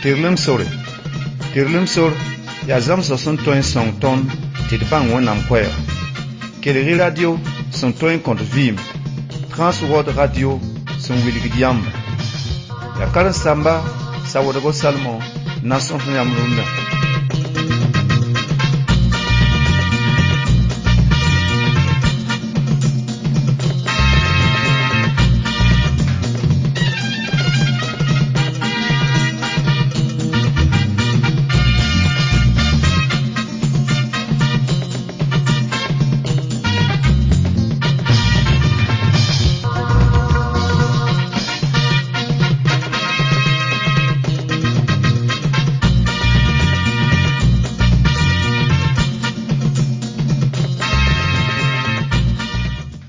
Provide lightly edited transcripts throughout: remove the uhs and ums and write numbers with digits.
Tɩrlem sore. Tɩrlem sor yaa zãmsg sẽn tõe n sõng tõnd tɩ d bãng Wẽnnaam koɛɛga. Kelg-y radio sẽn tõe n kõt vɩɩm, Transworld Radio sẽn wilgd yãmba. Yaa karen-saamba Sawadgo Salmon n na n sõs yãmb rũndã.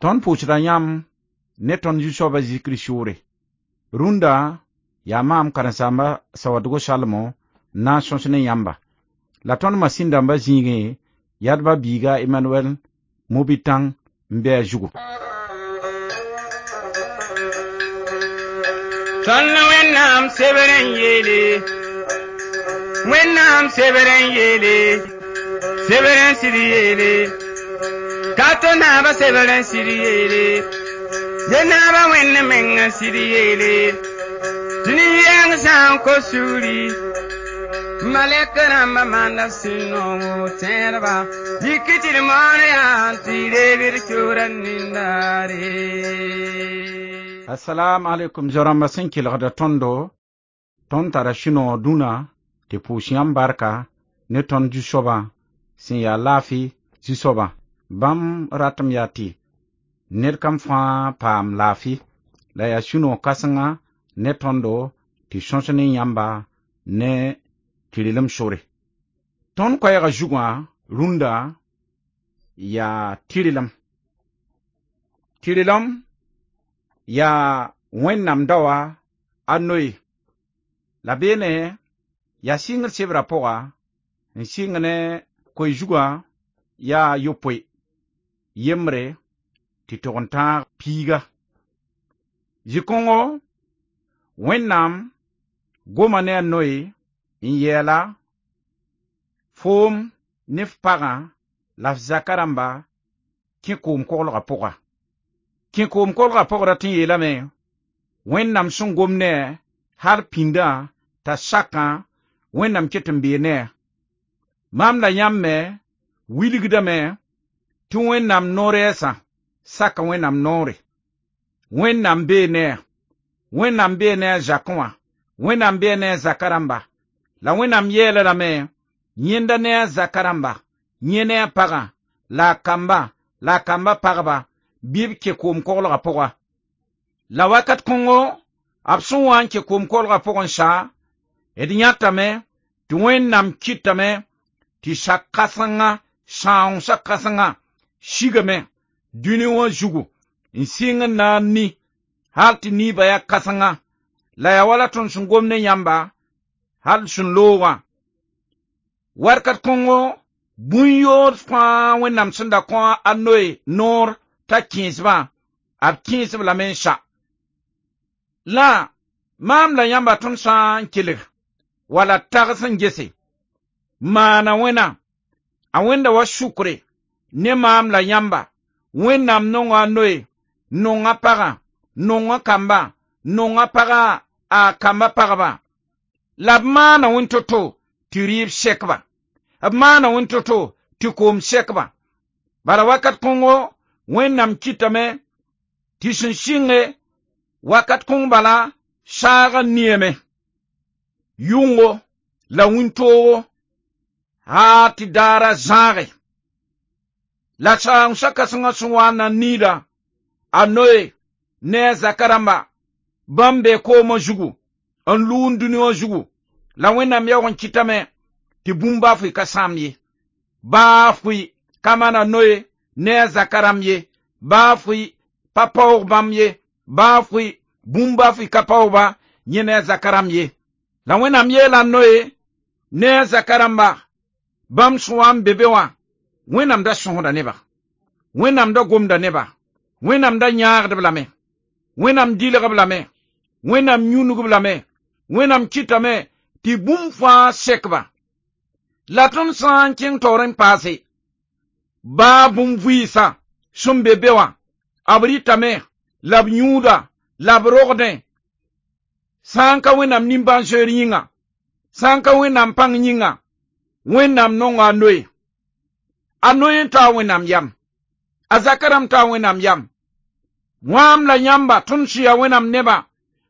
Tõnd pʋʋsda yãmb ne tõnd Zu-soabã Zezi Kirist yʋʋre. Rũndã yaa maam karen-saamba Sawadgo Salmo n na n sõs ne yãmba. La tõnd masĩn dãmbã zĩigẽ yadba biiga Emmanuel Mobitãng n be a zugu. Tõnd Wẽnnaam sebr n yeele, Wẽnnaam sebr n yeele, sebr n sɩd yeele, ka to naaba sebr n sɩd yeele, ye naaba Wẽnd meng n sɩd yeele, tɩ nin-yɛng sã n kos sugri, malɛk rãmbã maanda sũ-noongo tẽedba, yik tɩ d moon yaa tɩ reeg d kiuurã nindaare. Assalamu alaikum zao-rãmbã sẽn kelgda tõndo, tõnd tara sũ-noog dũnã tɩ pʋʋs yãmb barka ne tõnd Zu-soabã sẽn yaa laafɩ Zu-soabã. Bãmb ratame yaa tɩ ned kam fãa paam laafɩ, la yaa sũ-noog kãsenga ne tõndo tɩ sõs ne yãmba ne tɩrlem sore. Tõnd koɛɛgã zugã rũndã yaa tɩrlem. Tɩrlem yaa Wẽnnaam daoa a noe. La beene yaa sɩngr sebrã pʋga n sɩng ne koe zugã yaa yopoe yembre tɩ tog n tãag piiga. Zĩ-kõngo Wẽnnaam goma ne a noe n yɛɛla foom ne f pagã la f zaka rãmba kẽ koom-koglgã pʋga. Kẽ koom-koglgã pʋg rat n yeelame Wẽnnaam sẽn gom ne a hal pĩndã t'a sakã Wẽnnaam ket n bee ne a. Maam la yãmb me wilgdame tɩ Wẽnnaam no-rɛɛsã saka Wẽnnaam noore. Wẽnnaam bee ne a. Wẽnnaam bee ne a zakẽ wã. Wẽnnaam bee ne a zaka rãmba. La Wẽnnaam yɛɛla lame yẽnda ne a zaka rãmba, yẽ ne a pagã, la a kamba, la a kamba pagba, bɩ b kẽ koom-koglgã pʋga. La wakat kõngo, b sẽn wa n kẽ koom-koglgã pʋgẽ sa, d yãtame tɩ Wẽnnaam kɩtame tɩ sak-kãsenga, sãoongsa kãsenga sigame dũni wã zugu n sɩng n na n ni hal tɩ niibã yaa kãsenga. La yaa wala tõnd sẽn gom ne yãmba hal sẽn loogã. Warkat kõngo bũn-yood fãa Wẽnnaam sẽn da kõ a noe noor t'a kẽesbã, b kẽesb lame n sa. La maam la yãmba tõnd sã n kelg wala tags n gese, maana wẽna, a wẽnda wa sukre ne maam la yãmba, Wẽnnaam nonga a noe, nonga pagã, nonga kamba, nonga pagã a kamba pagba. La b maana wẽn to-to tɩ rɩɩb sɛkba, b maana wẽn to-to tɩ koom sɛkba. Bala wakat kõngo Wẽnnaam kɩtame tɩ sẽn sɩnge wakat kõng bala saagã niame, yʋngo la wĩntoogo haa tɩ daara zãage. La saoongsa kãsengã sẽn wa n na n niida a noe ne a zaka rãmba, bãmb bee koomã zugu n lʋʋn dũni wã zugu. La Wẽnnaam yaoog n kɩtame tɩ bũmb baa fʋɩ ka sãam ye. Baa fʋɩ ka maan a noe ne a zaka rãmb ye, baa fʋɩ pa paoog bãmb ye, baa fʋɩ bũmb baa fʋɩ ka paoog-ba yẽ ne a zaka rãmb ye. La Wẽnnaam yeela a noe ne a zaka rãmba, bãmb sẽn wa n be be wã, Wẽnnaam da sõsda neba, Wẽnnaam da gomda neba, Wẽnnaam da yãagd-b lame, Wẽnnaam dɩlg-b lame, Wẽnnaam yũnug-b lame, Wẽnnaam kɩtame Tɩ bũmb fãa sekba. La tõnd sã n kẽng taoor n paase, baa bũmb vɩɩsã sẽn be be wã, b rɩtame la b yũuda la b rogdẽ, sã n ka Wẽnnaam nimbãan-zoeer yĩnga, sã n ka Wẽnnaam pãng yĩnga, Wẽnnaam nonga a Noe. A Noe n taa Wẽnnaam yam. A zaka rãmb taa Wẽnnaam yam. Wãam la yãmba tõnd sẽn yaa Wẽnnaam nebã,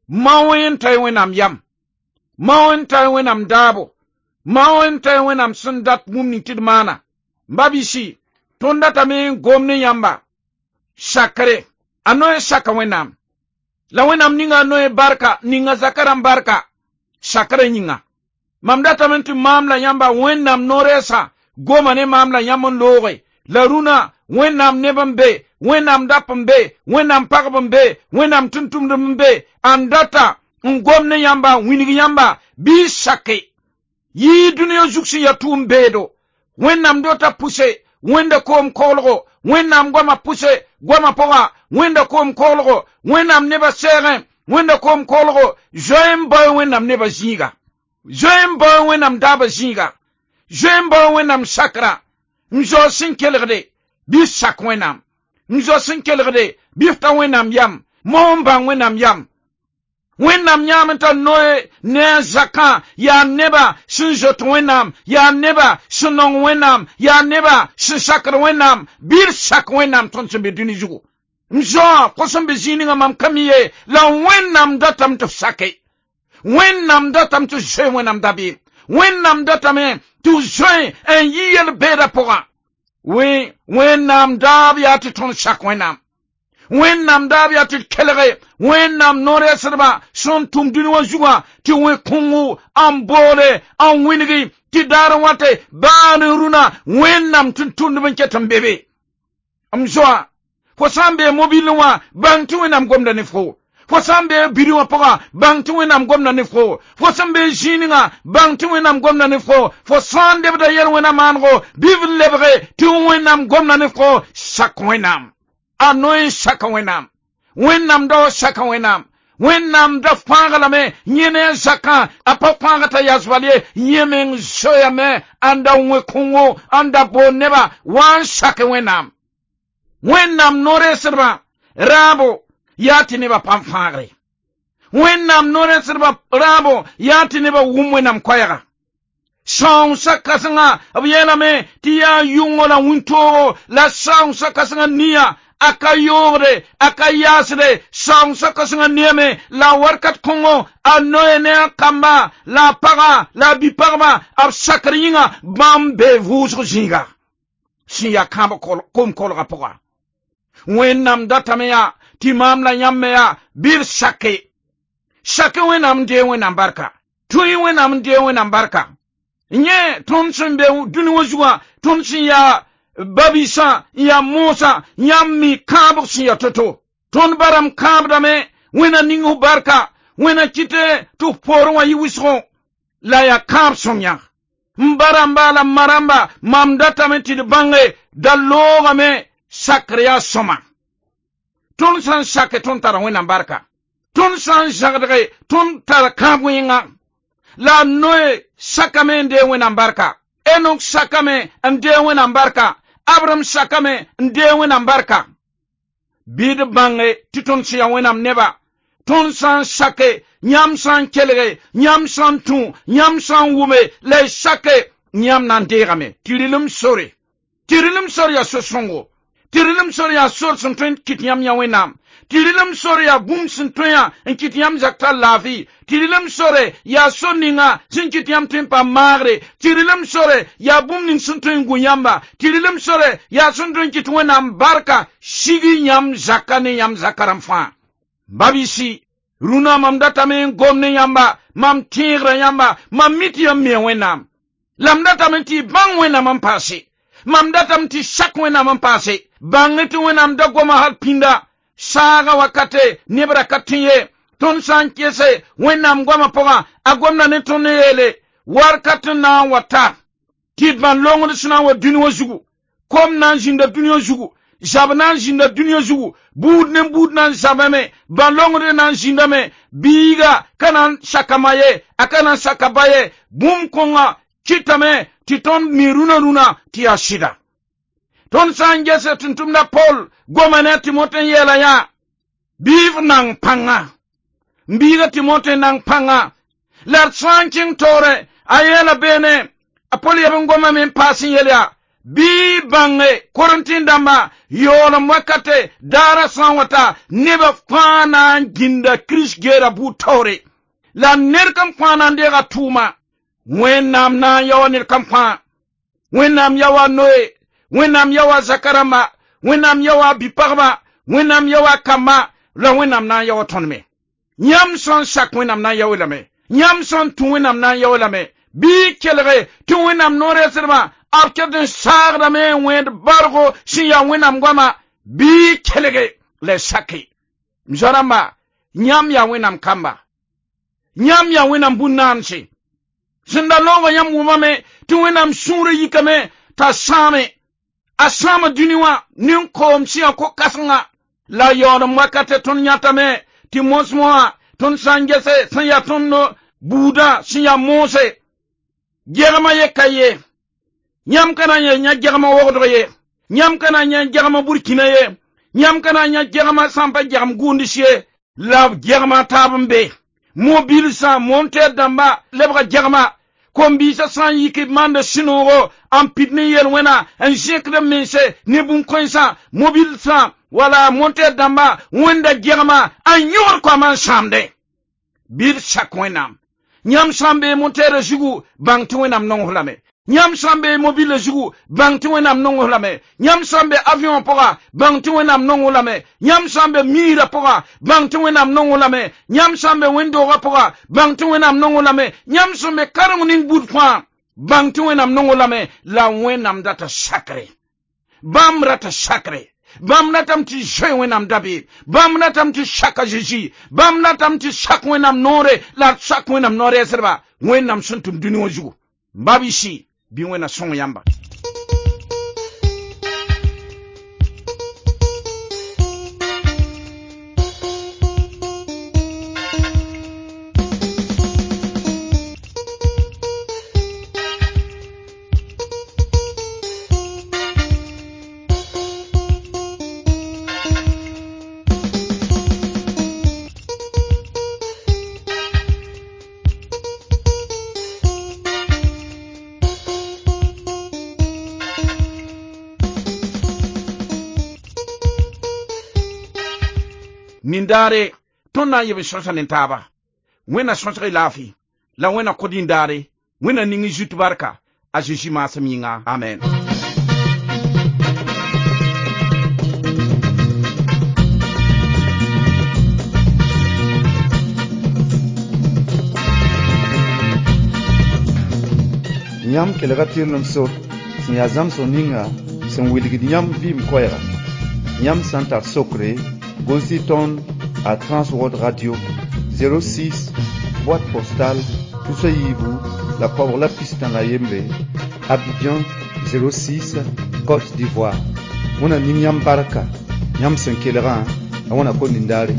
mao n ta Wẽnnaam yam. Mao n ta Wẽnnaam daabo. Mao n ta Wẽnnaam sẽn dat bũmb ning tɩ d maana. Babisi, tõnd datame n gom ne yãmba sakre. A Noe saka Wẽnnaam. La Wẽnnaam ninga a Noe barka, ninga zaka rãmb barka, sakrã yĩnga. Mam datame tɩ maam la yãmba Wẽnnaam no-rɛɛsã goma ne maam la yãmb n looge. La rũnã Wẽnnaam neb n be, Wẽnnaam dap n be, Wẽnnaam pagb n be, Wẽnnaam tʋm-tʋmdb n be, n data n gom ne yãmba, n wilg yãmba, bɩ sake. Yɩ dũniyã zug sẽn yaa tʋʋm beedo. Wẽnnaam dota pʋse, Wẽnda koom koglgo, Wẽnnaam goama pʋse, goama pʋga, Wẽnda koom koglgo, Wẽnnaam nebã sɛɛgẽ, Wẽnda koom koglgo, zoe n bao Wẽnnaam nebã zĩiga. Zoe n bao Wẽnnaam daabã zĩiga. Zoe n bao Wẽnnaam sakra. N zao sẽn kelgde, bɩ sak Wẽnnaam. N zao sẽn kelgde, bɩ f ta Wẽnnaam yam. Mao n bãng Wẽnnaam yam. Wẽnnaam yãam n tar Noe ne a zakã yaa neba sẽn zoet Wẽnnaam, yaa neba sẽn nong Wẽnnaam, yaa neba sẽn sakd Wẽnnaam, bɩ d sak Wẽnnaam tõnd sẽn be dũni zugu. N zoa fo sẽn be zĩig ninga mam ka mi ye, la Wẽnnaam datame tɩ f sake. Wẽnnaam datame tɩ f zoe Wẽnnaam dabeem. Wẽnnaam datame tɩ f zoe n yi yel-beedã pʋgã. Wẽnnaam daab yaa tɩ tõnd sak Wẽnnaam. Wẽnnaam daab yaa tɩ d kelge Wẽnnaam no-rɛɛsdbã sẽn tʋm dũni wã zugã tɩ wẽ-kõngo n boole n wilgi tɩ daar n wate baa ne rũnã Wẽnnaam tʋm-tʋmdb n ket n be be. M zoa, fo sã n bee mobilẽ wã, bãng tɩ Wẽnnaam gomda ne fo. Fo sã n bee biri wã pʋgã, bãng tɩ Wẽnnaam gomda ne fo. Fo sẽn bee zĩig ninga, bãng tɩ Wẽnnaam gomda ne fo. Fo sã n lebda yel-wẽna maanego, bɩ f lebge tɩ Wẽnnaam gomda ne fo, sak Wẽnnaam. A Noe saka Wẽnnaam. Wẽnnaam dao saka Wẽnnaam. Wẽnnaam da fãag lame yẽ ne a zakã, a pa fãag t'a yas bal ye, yẽ meng zoeame n da wẽ kõngo, n da boond nebã wa n sak Wẽnnaam. Wẽnnaam no-rɛɛsdbã raabo yaa tɩ nebã pãm fãagre. Wẽnnaam no-rɛɛsdbã raabo yaa tɩ nebã wʋm Wẽnnaam koɛɛga. Sãoongsa kãsenga b yeelame tɩ yaa yʋngo la wĩntoogo la sãoongsa kãsengã nia a ka yoogde, a ka yaasde, sãoongsa kãsengã neame la warkat kõngo a Noe ne a kamba la a pagã la a bi-pagba b sakr yĩnga bãmb bee vʋʋsg zĩiga sẽn yaa kãab kom kolgã pʋga. Wẽnnaam datame yaa tɩ maam la yãmb me yaa bɩ d sake. Sake Wẽnnaam n dee Wẽnnaam barka. Tũ-y Wẽnnaam n dee Wẽnnaam barka. Yẽ tõnd sẽn be dũni wã zugã, tõnd sẽn yaa babisã n yaa moosã, yãmb mi kãabg sẽn yaa to-to. Tõnd barame kãabdame, Wẽnna ning f barka, Wẽnna kɩte tɩ f poorẽ wã yɩ wʋsgo, la yaa kãab sõm yãg. M ba rãmba la m ma rãmba, mam datame tɩ d bãnge da loogame sakr yaa sõma. Tõnd sã n sake tõnd tara Wẽnnaam barka. Tõnd sã n zãgdge tõnd tara kãab wẽnga. La Noe sakame n dee Wẽnnaam barka. Enok sakame n dee Wẽnnaam barka. Abraham sakame n dee Wẽnnaam barka. Bɩ d bãnge tɩ tõnd sẽn yaa Wẽnnaam neba, tõnd sã n sake, yãmb sã n kelge, yãmb sã n tũ, yãmb sã n wʋme, la y sake, yãmb na n deegame. Tɩ rɩlem sore. Tɩ rɩlem sor yaa so-sõngo. Tɩ rɩlem sor yaa sor sẽn tõe n kɩt yãmb yã Wẽnnaam. Tɩ rɩlem sor yaa bũmb sẽn tõe yã n kɩt yãmb zak tar laafɩ. Tɩ rɩlem sore yaa sor ninga sẽn kɩt yãmb tõe n paam maagre. Tɩ rɩlem sore yaa bũmb ning sẽn tõe n gu yãmba. Tɩ rɩlem sore yaa sẽn tõe n kɩt Wẽnnaam barka sigi yãmb zaka ne yãmb zaka rãmb fãa. Babisi, rũnã mam datame n gom ne yãmba, mam tẽegra yãmba, mam mi tɩ yãmb mia Wẽnnaam. La m datame tɩ y bãng Wẽnnaam n paase. Mam datame tɩ sak Wẽnnaam n paase. Bãng tɩ Wẽnnaam da goma hal pĩnda. Saaga wakate neb ra ka tẽ ye. Tõnd sã n kese Wẽnnaam goamã pʋgã, a gomda ne tõnd n yeele warkat n na n wa ta tɩ d bãn longd sẽn na n wa dũni wã zugu, kom na n zĩnda dũni wã zugu, Zab na n zĩnda dũniyã zugu, buud ne buud na n zabame, bãn-longdr na n zĩndame, biiga ka na n saka ma ye, a ka na n saka ba ye, bũmb kõnga kɩtame tɩ tõnd mi rũnã rũnã tɩ yaa sɩda. Tõnd sã n gese tʋm-tʋmda Pol goma ne a Timote n yeela yã, bɩ f nang pãnga. N biiga Timote nang pãnga. La d sã n kẽng taoore, a yeela beene, a Pol yeb n gomame n paas n yel yaa, bɩ bãnge Korẽntɩ dãmba yaoolem wakate daara sã n wa ta nebã fãa na n gĩnda Kirist geera buud taoore. La ned kam fãa na n deega tʋʋma. Wẽnnaam na n yao ned kam fãa. Wẽnnaam yao a Noe, Wẽnnaam yao a zaka rãmba, Wẽnnaam yao a bi-pagba, Wẽnnaam yao a kamba, la Wẽnnaam na n yao tõnd me. Yãmb sã n sak Wẽnnaam na n yao lame. Yãmb sã n tũ Wẽnnaam na n yao lame. Bɩ kelge tɩ Wẽnnaam no-rɛɛsdbã b ket n saagdame n wẽed bargo sẽn yaa Wẽnnaam goama, bɩ kelge la y sake. M zoa-rãmba, yãmb yaa Wẽnnaam kamba. Yãmb yaa Wẽnnaam bũn-naanse. Sẽn da loogã yãmb wʋmame tɩ Wẽnnaam sũurã yikame t'a sãame. A sãama dũni wã nin-koom sẽn yaa ko-kãsenga. La yaoolem wakate tõnd yãtame tɩ mosmõ wã tõnd sã n gese sẽn yaa tõnd buudã sẽn yaa moose. Gɛgmã ye ka ye. Yãmb ka na n yã gɛgmã wogdg ye. Yãmb ka na n yã gɛgmã burkina ye. Yãmb ka na n yã gɛgmã sã n pa gɛgem gʋʋnds ye. La gɛgmã taab n be. Mobilsã, montɛɛr dãmba lebga gɛgmã. Kom-biisã sã n yik b maanda sũ-noogo n pid ne yel-wẽna n zẽkd b mense ne bũn-kãensã, mobilsã wala montɛɛr dãmba wẽnda gɛgmã n yõgd koamã n sãamdẽ. Bɩ d sak Wẽnnaam. Yãmb sã n bee montɛɛrã zugu, bãng tɩ Wẽnnaam nong f lame. Yãmb sã n bee mobile zugu, bãng tɩ Wẽnnaam nong f lame. Yãmb sã n be avion pʋga, bãng tɩ Wẽnnaam nong f lame. Yãmb sã n be miirã pʋga, bãng tɩ Wẽnnaam nong f lame. Yãmb sã n be wẽnd-doogã pʋga, bãng tɩ Wẽnnaam nong f lame. Yãmb sẽn be kareng ning buud fãa, bãng tɩ Wẽnnaam nong f lame. La Wẽnnaam data sakre. Bãmb rata sakre. Bãmb ratame tɩ zoe Wẽnnaam dabeem. Bãmb ratame tɩ sak a Zeezi. Bãmb ratame tɩ sak Wẽnnaam noore la d sak Wẽnnaam no-rɛɛsdba Wẽnnaam sẽn tʋm dũni wã zugu. Babisi, bɩ Wẽnna sõng yãmba. Nindaare tõnd na n yeb n sõsa ne taaba. Wẽnna sõsg y laafɩ, la Wẽnna kõ dĩndaare, Wẽnna ning y zut barka, a Zeezi maasem yĩnga. Amen. Yãmb kelga tɩrlem sor sẽn yaa zãmsg ninga sẽn wilgd yãmb vɩɩm koɛɛga. Yãmb sã n tar sokre, gos-y tõnd a Transworld Radio 06 boîte postale tusa yiibu la koabg la pistã la yembre, Abidjan 06 Côte d'Ivoire. Wẽnna ning yãmb barka, yãmb sẽn kelgã, la wẽnna ko nindaare.